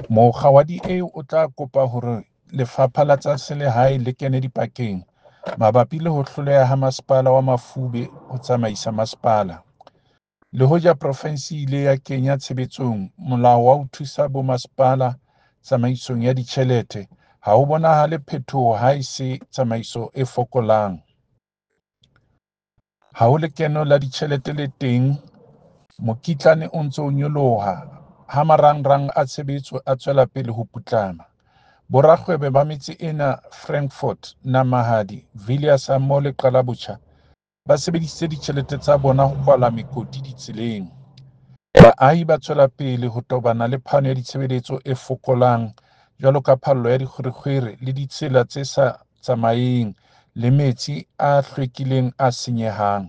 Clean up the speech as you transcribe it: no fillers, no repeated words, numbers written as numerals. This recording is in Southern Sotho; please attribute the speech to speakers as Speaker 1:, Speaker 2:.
Speaker 1: Mokga wa DA o tla kopa hore Lefapha la tsa Selehae le kene dipakeng mabapi le ho hloleha ha Masepala wa Mafube ho tsamaisa masepala. Le hoja profensi e ile ya kenya tshebetsong molao wa ho thusa bomasepala tsamaisong ya ditjhelete, ha ho bonahale phetoho haese tsamaiso e fokolang. Ha ho lekeno la ditjhelete le teng, mokitlane o ntse o nyoloha ha marangrang a tshebetso a tswela pele ho putlama. Borakgwebo ba metse ena, Frankfort, Namahadi, Villiers hammoho le Qalabotjha, ba sebedisitse ditjhelete tsa bona ho kwala mekoti ditseleng. Baahi ba tswela pele ho tobana le phano ya ditshebeletso e fokolang jwalo ka phallo ya dikgwerekgwere le ditsela tse sa tsamaeheng le metsi a hlwekileng a senyehang.